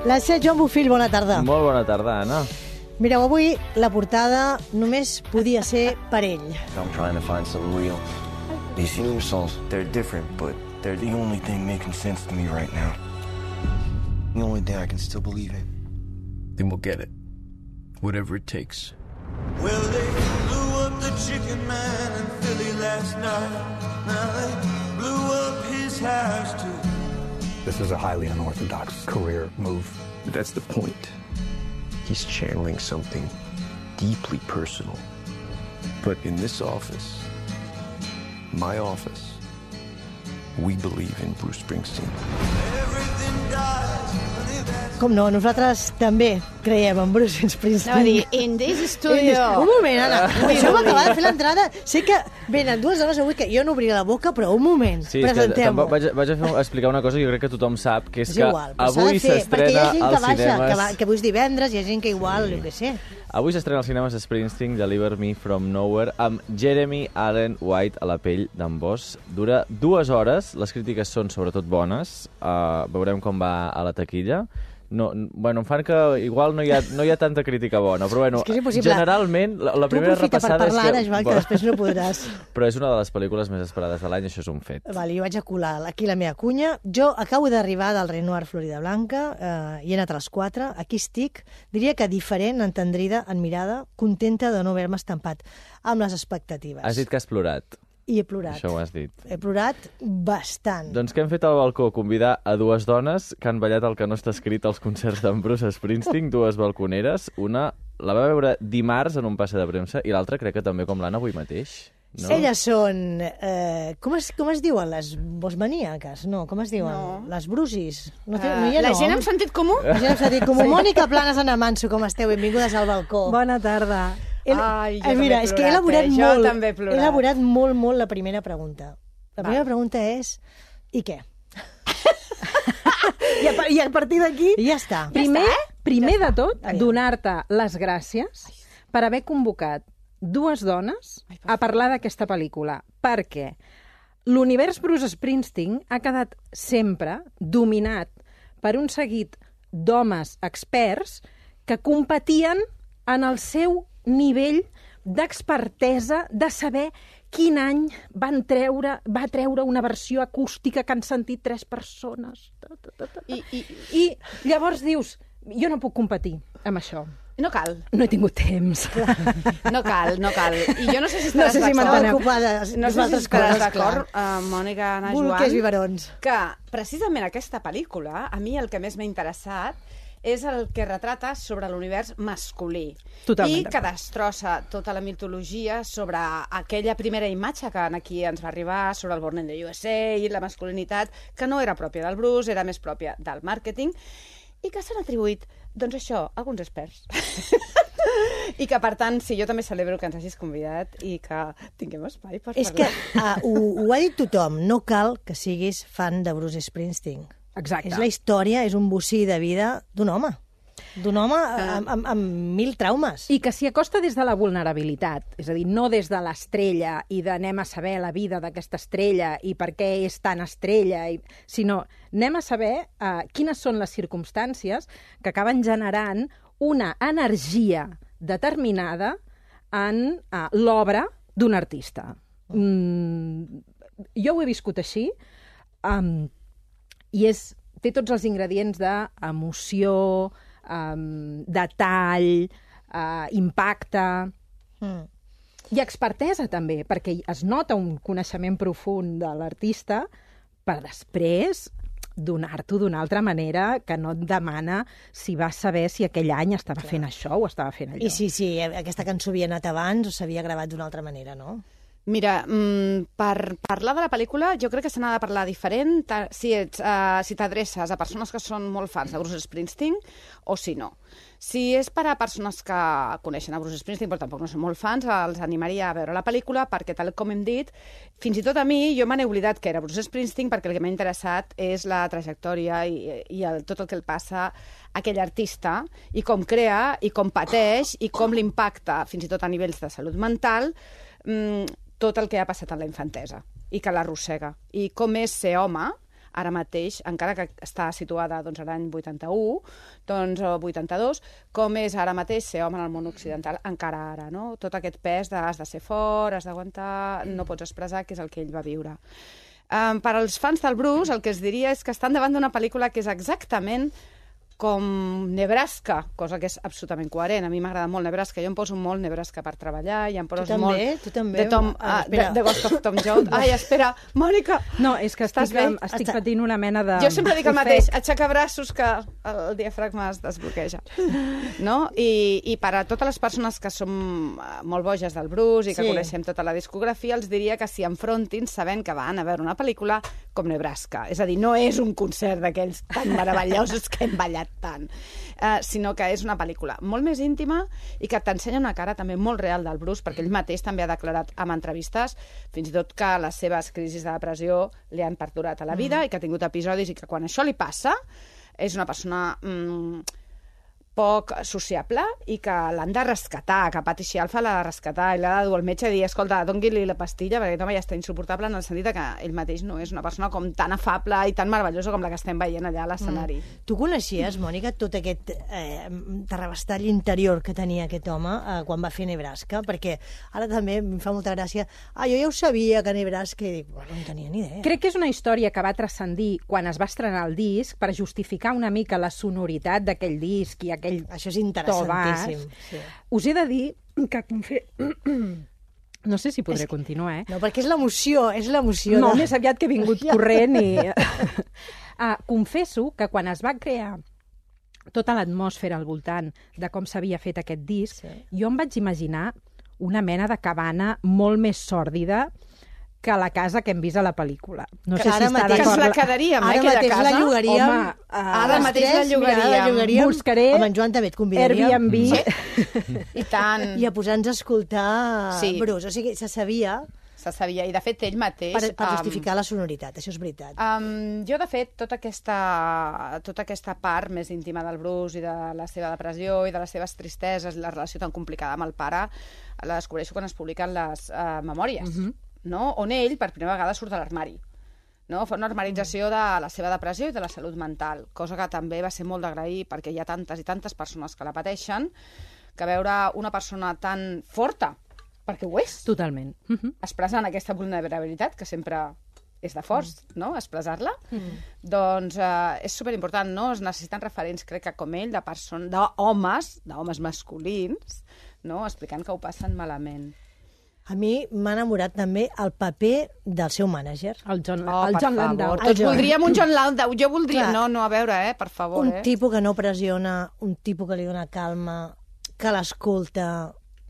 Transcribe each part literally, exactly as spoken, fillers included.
La Sé Joan Bofill, bona tarda. Molt bona tarda, Anna. Mireu, avui la portada només podia ser per ell. I'm trying to find something real. These theme songs, they're different, but they're the only thing making sense to me right now. The only thing I can still believe in. Then we'll get it. Whatever it takes. Well, they blew up the chicken man in Philly last night. Now they blew up his house too. This is a highly unorthodox career move. That's the point. He's channeling something deeply personal. But in this office, my office, we believe in Bruce Springsteen. Everything dies. Com no, nosaltres també creiem en Bruce Springsteen. No, dir, in this studio. Un moment, Anna. Això m'acaba de fer l'entrada. Sé que venen dues dones avui que jo no obriré la boca, però un moment. Sí, és que presentem-ho. vaig, vaig a fer, explicar una cosa que jo crec que tothom sap, que és, És que igual, però s'ha avui de fer, perquè hi s'estrena ha gent que als baixa, cinemes... que, va, que avui és divendres, hi ha gent que igual, jo què sé. Avui s'estrena als cinemes Springsteen, Deliver Me From Nowhere, amb Jeremy Allen White a la pell d'en Boss. Dura dues hores, les crítiques són sobretot bones, uh, veurem com va a la taquilla. No, bueno, em fan que igual no hi ha, no hi ha tanta crítica bona, però bueno, és que és generalment la, la primera repassada per parlar, és que... ara, Joan, que després no podràs. Però és una de les pel·lícules més esperades de l'any, això és un fet. Vale, jo vaig a colar aquí la meva cunya. Jo acabo d'arribar del Renoir Florida Blanca, eh, i he anat a les quatre, aquí estic, diria que diferent, entendrida, en mirada, contenta de no haver-me estampat amb les expectatives. Has dit que has plorat. I he plorat. Això ho has dit. He plorat bastant. Doncs què hem fet al balcó? Convidar a dues dones que han ballat el que no està escrit als concerts d'en Bruce Springsteen, dues balconeres. Una la va veure dimarts en un passe de premsa i l'altra crec que també com l'Anna avui mateix. No? Elles són... Eh, com, es, com es diuen? Les bosmaníaques? No, com es diuen? No. Les brusis? No, té, Uh, no hi ha la nom? gent amb sentit comú? La gent amb sentit comú. Sí. Mònica Planes, Anna Manso, com esteu? Benvingudes al balcó. Bona tarda. El... Ai, jo eh, mira, també he és que he elaborat plorat, eh? Jo molt, també he plorat. he elaborat molt, molt la primera pregunta. La primera Va. pregunta és, i què? I a, I a partir d'aquí, I ja està. primer, està, eh? primer Ja de està. tot, Aviam. donar-te les gràcies per haver convocat dues dones a parlar d'aquesta pel·lícula, perquè l'univers Bruce Springsteen ha quedat sempre dominat per un seguit d'homes experts que competien en el seu nivell d'expertesa, de saber quin any van treure, va treure una versió acústica que han sentit tres persones. Ta, ta, ta, ta. I, i, I llavors dius, jo no puc competir amb això. no cal. No he tingut temps. No cal, no cal. I jo no sé si No estaràs sé si d'acord. m'enteneu. ocupades No sé si d'altres estaràs coses, d'acord, clar. uh, Mònica, Anna, Bolquers i Joan, barons. que precisament aquesta pel·lícula, a mi el que més m'ha interessat és el que retrata sobre l'univers masculí. Totalment I que d'acord. destrossa tota la mitologia sobre aquella primera imatge que aquí ens va arribar, sobre el Born in the U S A i la masculinitat, que no era pròpia del Bruce, era més pròpia del màrqueting, i que s'han atribuït, doncs això, a alguns experts. I que, per tant, sí, jo també celebro que ens hagis convidat i que tinguem espai per És que parlar. uh, ho, ho ha dit tothom, no cal que siguis fan de Bruce Springsteen. Exacte. És la història, és un bocí de vida d'un home. D'un home amb, amb, amb mil traumes. I que s'hi acosta des de la vulnerabilitat, és a dir, no des de l'estrella i d'anem a saber la vida d'aquesta estrella i per què és tan estrella, i... sinó anem a saber uh, quines són les circumstàncies que acaben generant una energia determinada en uh, l'obra d'un artista. Mm, jo ho he viscut així, um, i és, té tots els ingredients d'emoció, um, detall, uh, impacte Mm. i expertesa també, perquè es nota un coneixement profund de l'artista per després donar-t'ho d'una altra manera que no et demana si vas saber si aquell any estava fent això o estava fent allò. I sí, sí, aquesta cançó havia anat abans o s'havia gravat d'una altra manera, no? Mira, mm, per parlar de la pel·lícula jo crec que se n'ha de parlar diferent ta- si ets, uh, si t'adreces a persones que són molt fans de Bruce Springsteen o si no. Si és per a persones que coneixen a Bruce Springsteen però tampoc no són molt fans, els animaria a veure la pel·lícula perquè, tal com hem dit, fins i tot a mi, jo me n'he oblidat que era Bruce Springsteen perquè el que m'ha interessat és la trajectòria i, i el, tot el que el passa a aquell artista i com crea i com pateix i com l'impacta, fins i tot a nivells de salut mental, mm, tot el que ha passat en la infantesa i que l'arrossega. I com és ser home ara mateix, encara que està situada doncs, a l'any vuitanta-u, doncs, o vuitanta-dos, com és ara mateix ser home en el món occidental, encara ara, no? Tot aquest pes de has de ser fort, has d'aguantar, no pots expressar, que és el que ell va viure. Um, per als fans del Bruce, el que es diria és que estan davant d'una pel·lícula que és exactament com Nebraska, cosa que és absolutament coherent. A mi m'agrada molt Nebraska. Jo em poso molt Nebraska per treballar i em poso tu també, molt... Tu també, de Tom, ah, uh, de, de Ghost of Tom Jones. Ai, espera, Mònica! No, és que estic, estic Està... patint una mena de... Jo sempre dic el mateix, aixeca braços que el diafragma es desbloqueja. No? I, I per a totes les persones que som molt boges del Bruce i que sí. coneixem tota la discografia, els diria que s'hi enfrontin sabent que van a veure una pel·lícula com Nebraska. És a dir, no és un concert d'aquells tan meravellosos que hem ballat tant, uh, sinó que és una pel·lícula molt més íntima i que t'ensenya una cara també molt real del Bruce, perquè ell mateix també ha declarat en entrevistes fins i tot que les seves crisis de depressió li han perdurat a la vida mm. i que ha tingut episodis i que quan això li passa és una persona mm, poc sociable i que l'han de rescatar, que Patty Scialfa l'ha de rescatar i l'ha de dur al metge i dir, escolta, doni-li la pastilla, perquè aquest home ja està insuportable en el sentit que ell mateix no és una persona com tan afable i tan meravellosa com la que estem veient allà a l'escenari. Mm. Tu coneixies, Mònica, tot aquest eh, terrabastall interior que tenia aquest home eh, quan va fer Nebraska? Perquè ara també em fa molta gràcia. Ah, jo ja ho sabia que Nebraska... I dic, bueno, no en tenia ni idea. Crec que és una història que va transcendir quan es va estrenar el disc per justificar una mica la sonoritat d'aquell disc i aquell Això és interessantíssim. Sí. Us he de dir que... Confe... No sé si podré és... continuar, eh? No, perquè és l'emoció, és l'emoció. No, de... més aviat que he vingut corrent i... ah, confesso que quan es va crear tota l'atmosfera al voltant de com s'havia fet aquest disc, sí. jo em vaig imaginar una mena de cabana molt més sòrdida que la casa que hem vist a la pel·lícula. No que sé si està d'acord. Que ens la quedaríem, eh, aquella casa. La llogaríem. Home, uh, ara mateix la llogaríem. Mira, la llogaríem. Buscaré amb en Joan també et convidaríem. Airbnb. Sí. I tant. I a posar-nos a escoltar sí. Bruce. O sigui, se sabia... Se sabia, i de fet ell mateix... Per, per justificar um, la sonoritat, això és veritat. Um, jo, de fet, tota aquesta, tota aquesta part més íntima del Bruce i de la seva depressió i de les seves tristeses i la relació tan complicada amb el pare, la descobreixo quan es publiquen les uh, memòries. Uh-huh. No? On ell, per primera vegada, surt de l'armari. No? Fa una armarització de la seva depressió i de la salut mental, cosa que també va ser molt d'agrair perquè hi ha tantes i tantes persones que la pateixen, que veure una persona tan forta, perquè ho és, totalment, uh-huh. expressant aquesta vulnerabilitat, que sempre és de forts, mm. no?, expressar-la, mm. doncs eh, és superimportant, no? Es necessiten referents, crec que com ell, de persones, d'homes, d'homes masculins, no?, explicant que ho passen malament. A mi m'ha enamorat també el paper del seu mànager. El John, oh, el John Landau. Tots John. voldríem un John Landau. Jo voldria... Clar. No, no, a veure, eh, per favor. Un eh. tipus que no pressiona, un tipus que li dona calma, que l'escolta...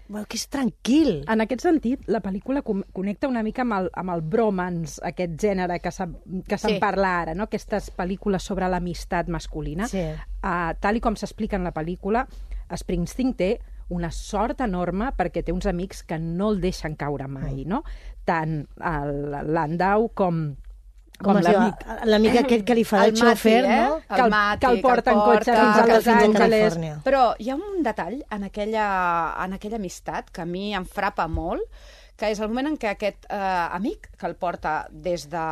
Bueno, que és tranquil. En aquest sentit, la pel·lícula connecta una mica amb el, amb el bromance, aquest gènere que se'n sí. parla ara, no? Aquestes pel·lícules sobre l'amistat masculina. Sí. Uh, tal i com s'explica en la pel·lícula, Springsteen té una sort enorme perquè té uns amics que no el deixen caure mai, no? Tant el Landau com... Com l'amic. L'amic aquest que li fa el, el xòfer, eh? no? El, el Mati, que el porta en cotxe fins a Los Angeles. Però hi ha un detall en aquella, en aquella amistat que a mi em frapa molt, que és el moment en què aquest eh, amic, que el porta des de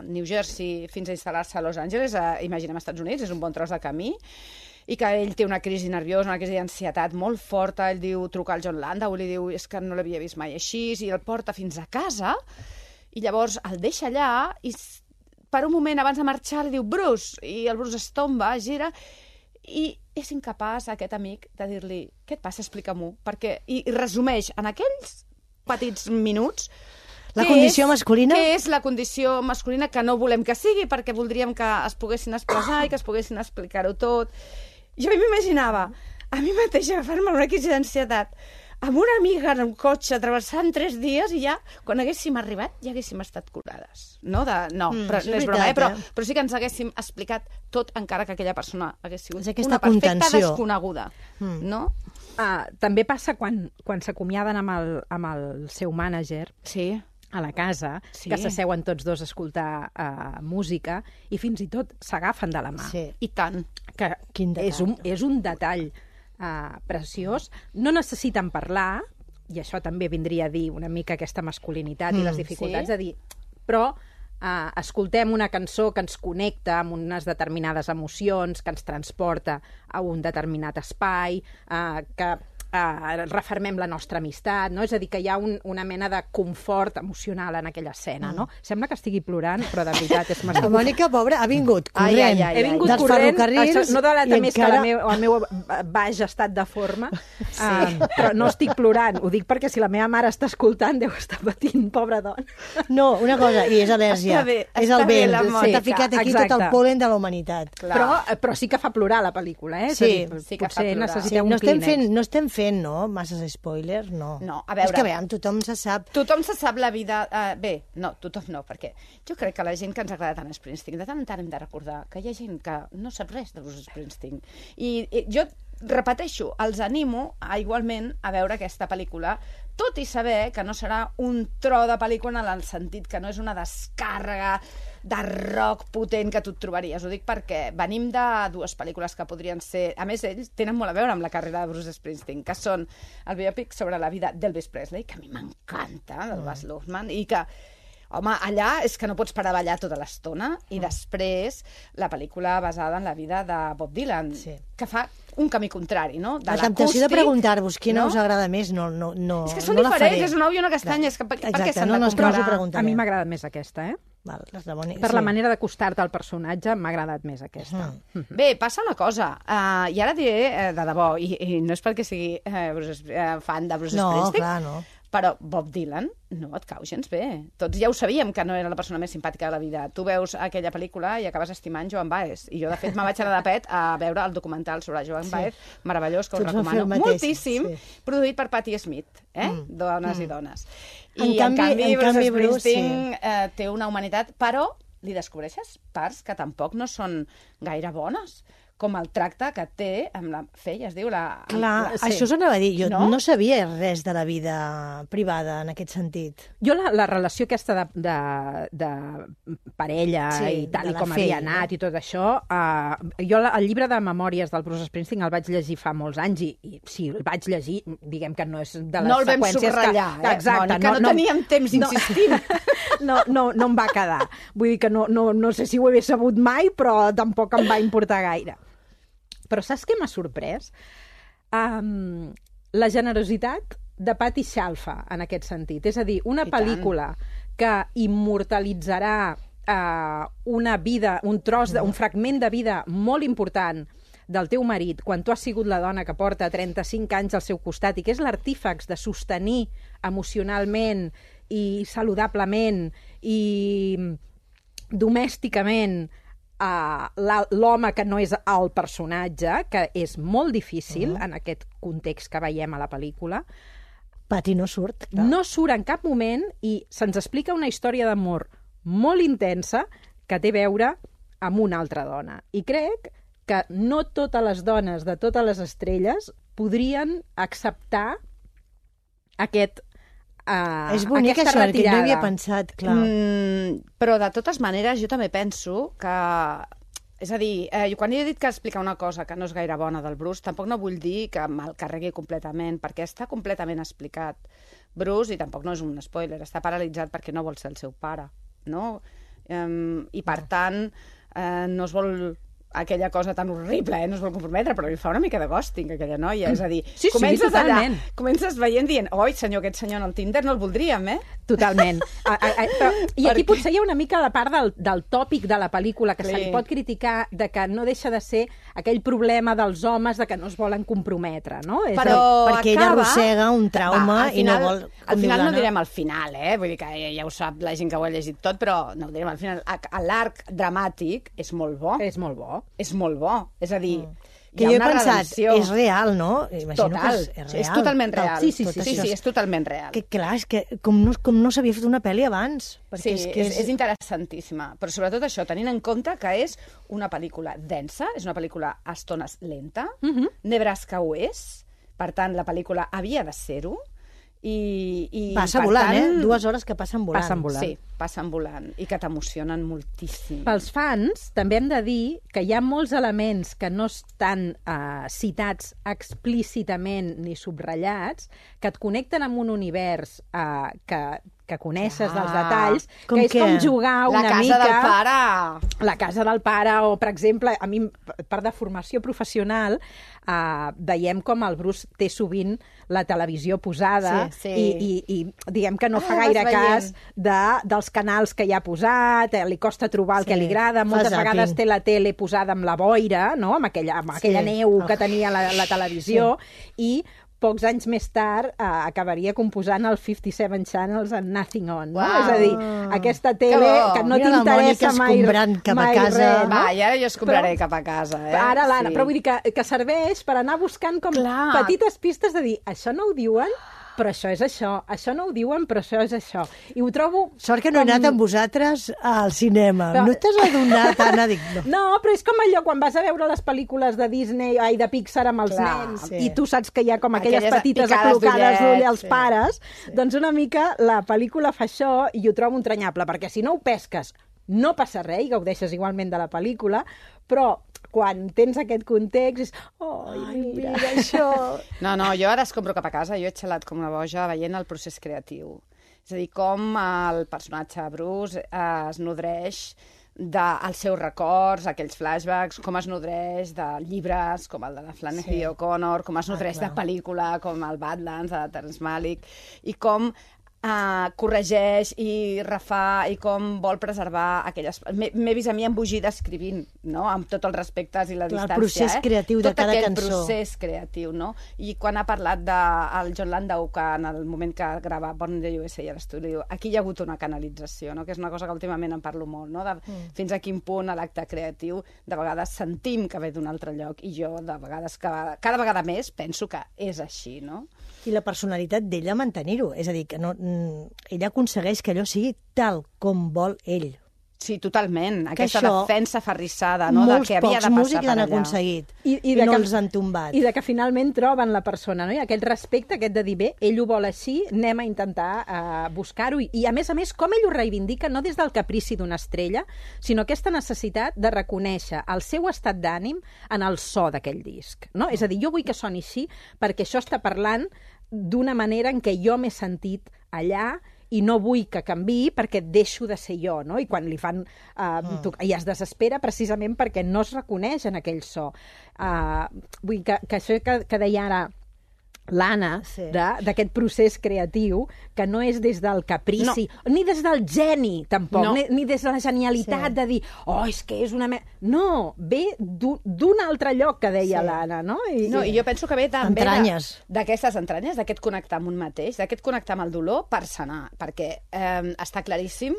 New Jersey fins a instal·lar-se a Los Angeles, eh, imaginem als Estats Units, és un bon tros de camí, i que ell té una crisi nerviosa, una crisi d'ansietat molt forta, ell diu, truca al John Landau, li diu, és que no l'havia vist mai així, i el porta fins a casa, i llavors el deixa allà, i per un moment, abans de marxar, li diu, Bruce, i el Bruce es tomba, gira, i és incapaç, aquest amic, de dir-li, què et passa, explica-m'ho, perquè, i, i resumeix en aquells petits minuts, la condició és, masculina? Què és la condició masculina que no volem que sigui, perquè voldríem que es poguessin expressar i que es poguessin explicar-ho tot. Jo m'imaginava a mi mateixa agafar-me una crisi d'ansietat amb una amiga en un cotxe travessant tres dies i ja, quan haguéssim arribat, ja haguéssim estat curades. No, de, no, mm, però, no és veritat, broma, eh? Però, eh? però sí que ens haguéssim explicat tot encara que aquella persona hagués sigut una perfecta contenció. Desconeguda. Mm. No? Ah, també passa quan, quan s'acomiaden amb, el, amb el seu mànager, sí. a la casa, sí. que s'asseuen tots dos a escoltar uh, música i fins i tot s'agafen de la mà. Sí. I tant. Que és un, és un detall uh, preciós. No necessiten parlar, i això també vindria a dir una mica aquesta masculinitat mm, i les dificultats sí. de dir... Però Uh, escoltem una cançó que ens connecta amb unes determinades emocions, que ens transporta a un determinat espai, uh, que uh, refermem la nostra amistat, no? És a dir, que hi ha un, una mena de confort emocional en aquella escena, no? Sembla que estigui plorant, però de veritat és La Mònica, pobra, ha vingut corrent. Ai, ai, ai, He vingut dels corrent, ferrocarrils això no delata i més encara- que la meu, el meu baix estat de forma, sí. uh, però no estic plorant. Ho dic perquè si la meva mare està escoltant deu estar patint, pobra dona. No, una cosa, i és al·lèrgia. Està bé, és està el bé vent. la Sí, Mònica. T'ha ficat aquí Exacte. tot el polen de la humanitat. Clar. Però, però sí que fa plorar la pel·lícula, eh? És a Sí, dir, sí que fa potser plorar. necessiteu Sí, un no, estem clínex. fent, no estem fent, no, masses spoilers, no. No, a veure. És que, veure, tothom se sap... Tothom se sap la vida... Uh, bé, no, tothom no, perquè jo crec que la gent que ens agrada tant Springsteen, de tant en tant hem de recordar que hi ha gent que no sap res de Bruce Springsteen. I, i jo repeteixo, els animo a, igualment a veure aquesta pel·lícula, tot i saber que no serà un tro de pel·lícula en el sentit que no és una descàrrega de rock potent que tu et trobaries. Ho dic perquè venim de dues pel·lícules que podrien ser... A més, ells tenen molt a veure amb la carrera de Bruce Springsteen, que són el biopic sobre la vida d'Elvis Presley, que a mi m'encanta, del Baz Luhrmann, i que, home, allà és que no pots parar a ballar tota l'estona, i després la pel·lícula basada en la vida de Bob Dylan, Sí. que fa un camí contrari, no? De La temptació de l'acústic, preguntar-vos quina no? us agrada més, no, no, no, És que són no la diferents, faré. és un ou i una castanya, és que per, per què Exacte, s'han no, de no, és que no us ho comparar? preguntaré. A mi m'ha agradat més aquesta, eh? Val, les de Boni- Per sí. la manera d'acostar-te al personatge m'ha agradat més aquesta. Mm. Bé, passa una cosa, uh, i ara diré uh, de debò, i, i no és perquè sigui uh, Bruce, uh, fan de Bruce No, Springsteen, clar, no. però Bob Dylan no et cau gens bé. Tots ja ho sabíem que no era la persona més simpàtica de la vida. Tu veus aquella pel·lícula i acabes estimant Joan Baez. I jo, de fet, me vaig anar de pet a veure el documental sobre Joan Sí. Baez, meravellós, que us Tots vam fer recomano el mateix, moltíssim, sí. produït per Patti Smith, eh? Mm. Dones Mm. i dones. En I, en canvi- canvi, en Bruce canvi, Bruce, Springsteen eh, té una humanitat, però li descobreixes parts que tampoc no són gaire bones, com el tracte que té amb la Fei, es diu la... Clar, la... sí. Això us anava a dir. Jo No? no? no sabia res de la vida privada en aquest sentit. Jo la, la relació aquesta de, de, de parella Sí, i tal de i la com Fei, havia anat i tot això, uh, jo la, el llibre de memòries del Bruce Springsteen el vaig llegir fa molts anys i, i si el vaig llegir, diguem que no és de les No el vam seqüències subratllar, que... eh, Exacte, Mònica, no teníem temps insistint. No, no, no em va quedar. Vull dir que no, no, no sé si ho hagués sabut mai, però tampoc em va importar gaire. Però saps què m'ha sorprès? Um, la generositat de Patti Scialfa, en aquest sentit. És a dir, una I pel·lícula que immortalitzarà uh, una vida, un tros, de, un fragment de vida molt important del teu marit, quan tu has sigut la dona que porta trenta-cinc anys al seu costat i que és l'artífex de sostenir emocionalment i saludablement i domèsticament Uh, l'home que no és el personatge, que és molt difícil uh-huh. en aquest context que veiem a la pel·lícula. Pati no surt. Clar. No surt en cap moment i se'ns explica una història d'amor molt intensa que té a veure amb una altra dona. I crec que no totes les dones de totes les estrelles podrien acceptar aquest Uh, és bonic això, que no havia pensat, clar. Mm, però de totes maneres jo també penso que... És a dir, eh, quan he dit que explicar una cosa que no és gaire bona del Bruce, tampoc no vull dir que me'l carregui completament, perquè està completament explicat. Bruce, i tampoc no és un spoiler, està paralitzat perquè no vol ser el seu pare, no? Um, I per tant, eh, no es vol... aquella cosa tan horrible, eh? No es vol comprometre, però li fa una mica de ghosting, aquella noia. És a dir, sí, sí, comences totalment. allà, comences veient dient, oi, senyor, aquest senyor en el Tinder no el voldríem, eh? Totalment. A, a, a, però, I aquí Perquè... potser hi ha una mica la part del, del tòpic de la pel·lícula que Sí. se li pot criticar, de que no deixa de ser aquell problema dels homes de que no es volen comprometre, no? És Però el... perquè ella acaba... arrossega un trauma al i no final, vol... com Al diu final no l'Anna. direm al final, eh? Vull dir que ja, ja ho sap la gent que ho ha llegit tot, però no ho direm al final. A- a L'arc dramàtic és molt bo. És molt bo. És molt bo. És a dir, Que hi ha jo he una pensat, redempció. és real, no? Imagino Total. que és, és real. És totalment Tal- real. Sí, Sí, tot sí, sí, això sí, és- és totalment real. Que clar, és que com no, com no s'havia fet una pel·li abans. Sí, Perquè és, que és, és interessantíssima. Però sobretot això, tenint en compte que és una pel·lícula densa, és una pel·lícula a estones lenta, uh -huh. Nebraska ho és, per tant, la pel·lícula havia de ser-ho, i, i Passa per volant, tant, eh? Dues hores que passen volant. Passen volant. Sí, passen volant, i que t'emocionen moltíssim. Pels fans, també hem de dir que hi ha molts elements que no estan uh, citats explícitament ni subratllats, que et connecten amb un univers uh, que, que coneixes Ah, dels detalls, com que és què? com jugar una La casa mica... del pare. La casa del pare, o, per exemple, a mi, part de formació professional, eh, veiem com el Bruce té sovint la televisió posada Sí, sí. I, i, i diguem que no Ah, fa vas gaire veient. cas de, dels canals que hi ha posat, eh, li costa trobar el Sí, que li agrada, fa moltes zapping. vegades té la tele posada amb la boira, no? amb aquella, amb aquella Sí. neu que Oh. tenia la, la televisió, i pocs anys més tard eh, acabaria composant el cinquanta-set Channels and Nothing On. No? Uau. És a dir, aquesta Que tele bo. que no Mira la t'interessa Mònica mai, escombrant cap a mai casa. res, no? Va, i ara jo escombraré Però- cap a casa, eh? Ara l'Anna, Sí. però vull dir que, que serveix per anar buscant com Clar. petites pistes de dir, això no ho diuen, però això és això, això no ho diuen, però això és això. I ho trobo... Sort que no he com- anat amb vosaltres al cinema. Però- No t'has adonat, Anna? Dic, no. No, però és com allò quan vas a veure les pel·lícules de Disney, ai, de Pixar amb els Clar, nens, sí. i tu saps que hi ha com aquelles, Aquelles petites picades aclocades d'ullet, d'ull als sí. pares, doncs una mica la pel·lícula fa això i ho trobo entranyable, perquè si no ho pesques no passa res i gaudeixes igualment de la pel·lícula, però quan tens aquest context és... Oh, Ai, mira, mira això. No, no, jo ara escombro cap a casa, jo he xalat com una boja veient el procés creatiu. És a dir, com el personatge Bruce eh, es nodreix dels seus records, aquells flashbacks, com es nodreix de llibres com el de la Flannery Sí. O'Connor, com es nodreix clar. de pel·lícula com el Badlands de Terrence Malick, i com Uh, corregeix i refà i com vol preservar aquelles... M'he m'he vist a mi embogida escrivint, no? Amb tots els respectes i la Clar, el distància. procés eh? creatiu de Tot cada aquell cançó. procés creatiu, no? I quan ha parlat del John Landau, que en el moment que grava Born in the U S A a l'estudi, aquí hi ha hagut una canalització, no? Que és una cosa que últimament en parlo molt, no? De mm. fins a quin punt l'acte creatiu de vegades sentim que ve d'un altre lloc, i jo de vegades, cada, cada vegada més, penso que és així, no? I la personalitat d'ella mantenir-ho. És a dir, que no, mm, ella aconsegueix que allò sigui tal com vol ell. Sí, totalment. Que Aquesta això defensa ferrissada, no? Del Molts que havia pocs de passar músics per l'han allà. aconseguit I, i, de no que, els han tombat. I de que finalment troben la persona, no? I aquest respecte, aquest de dir, bé, ell ho vol així, anem a intentar uh, buscar-ho. I, I, a més a més, com ell ho reivindica, no des del caprici d'una estrella, sinó aquesta necessitat de reconèixer el seu estat d'ànim en el so d'aquell disc, no? És a dir, jo vull que soni així perquè això està parlant d'una manera en què jo m'he sentit allà i no vull que canviï perquè deixo de ser jo, no? I quan li fan... Uh, tu, i es desespera precisament perquè no es reconeix en aquell so. Uh, vull que, que això que, que deia ara l'Anna, Sí. de- d'aquest procés creatiu, que no és des del caprici, no. ni des del geni, tampoc, No. ni, ni des de la genialitat Sí. de dir, oh, és que és una... Me... No, ve d'un d'un altre lloc, que deia Sí. l'Anna, no? I, No, i jo penso que ve també Entranyes. de- d'aquestes entranyes, d'aquest connectar amb un mateix, d'aquest connectar amb el dolor per sanar, perquè eh, està claríssim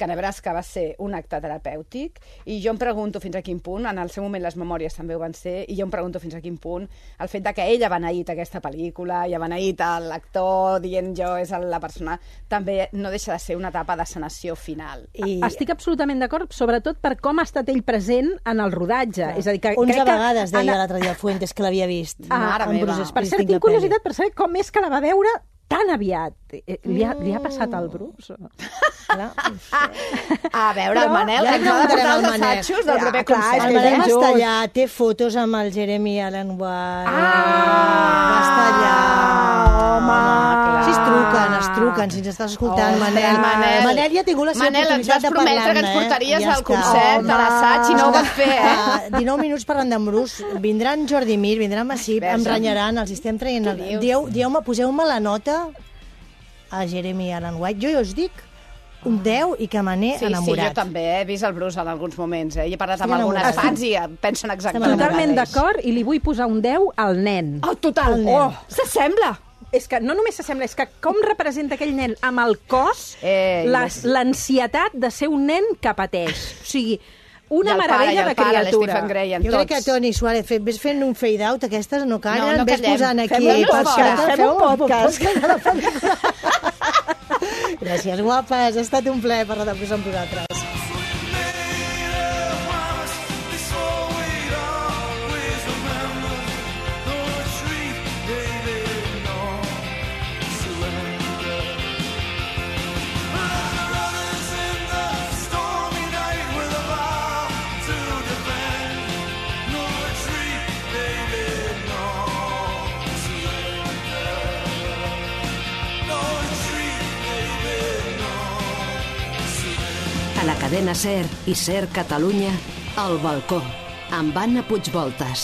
que Nebraska va ser un acte terapèutic, i jo em pregunto fins a quin punt, en el seu moment les memòries també ho van ser, i jo em pregunto fins a quin punt el fet de que ella ha beneït aquesta pel·lícula i ha beneït l'actor dient jo és la persona, també no deixa de ser una etapa de sanació final. I Estic absolutament d'acord, sobretot per com ha estat ell present en el rodatge. És a dir, que onze crec que vegades deia en- l'altre dia el Fuentes que l'havia vist. Ah, Mare amb meva. Bruce Per cert, Springsteen, tinc la pel·li. curiositat per saber com és que la va veure tan aviat. Eh, Li ha, li ha passat al Bruce? Clar. A veure, Però el Manel, ja que ens ha de preguntarem portar al els Manel. assajos del Ja, proper clar, concert. és El que Manel va junts. estar allà, té fotos amb el Jeremy Allen White. Ah! Va estar allà. Home! clar. Si es truquen, es truquen, si ens estàs escoltant, Ostres, Manel. Manel. Manel ja ha tingut la seva Manel, ens oportunitat vas de prometre parlar-ne, que ens portaries eh? Ja al està. concert, a l'assaig, i no ho vas fer, eh? Uh, dinou minuts parlant d'en Bruce. Vindran Jordi Mir, vindran Massip, em Verge. renyaran, els estem traient... Què El... dius? Dieu, dieu-me, poseu-me la nota a Jeremy Allen White. Jo ja us dic un deu i que me n'he Sí, enamorat. sí, jo també he vist el Bruce en alguns moments, eh? I he parlat amb Estic algunes enamorada. fans i eh, pensen exactament el Totalment mateix. d'acord, i li vull posar un deu al nen. Oh, total! El nen. Oh, s'assembla! És que no només s'assembla, és que com representa aquell nen amb el cos Ei, les- l'ansietat de ser un nen que pateix. O sigui, una I el pare, i meravella el de pare, criatura. l'Stephen Gray, en Jo crec que tots. Toni Suárez, fet, ves fent un fade-out, aquestes no callen, No, no ves callem. posant aquí... Fem un podcast, fem un podcast. podcast. Gràcies, guapes, ha estat un plaer parlar de Bruce amb vosaltres. No retreat, baby, la cadena SER i SER Catalunya, El balcó, amb Anna Puigvoltas.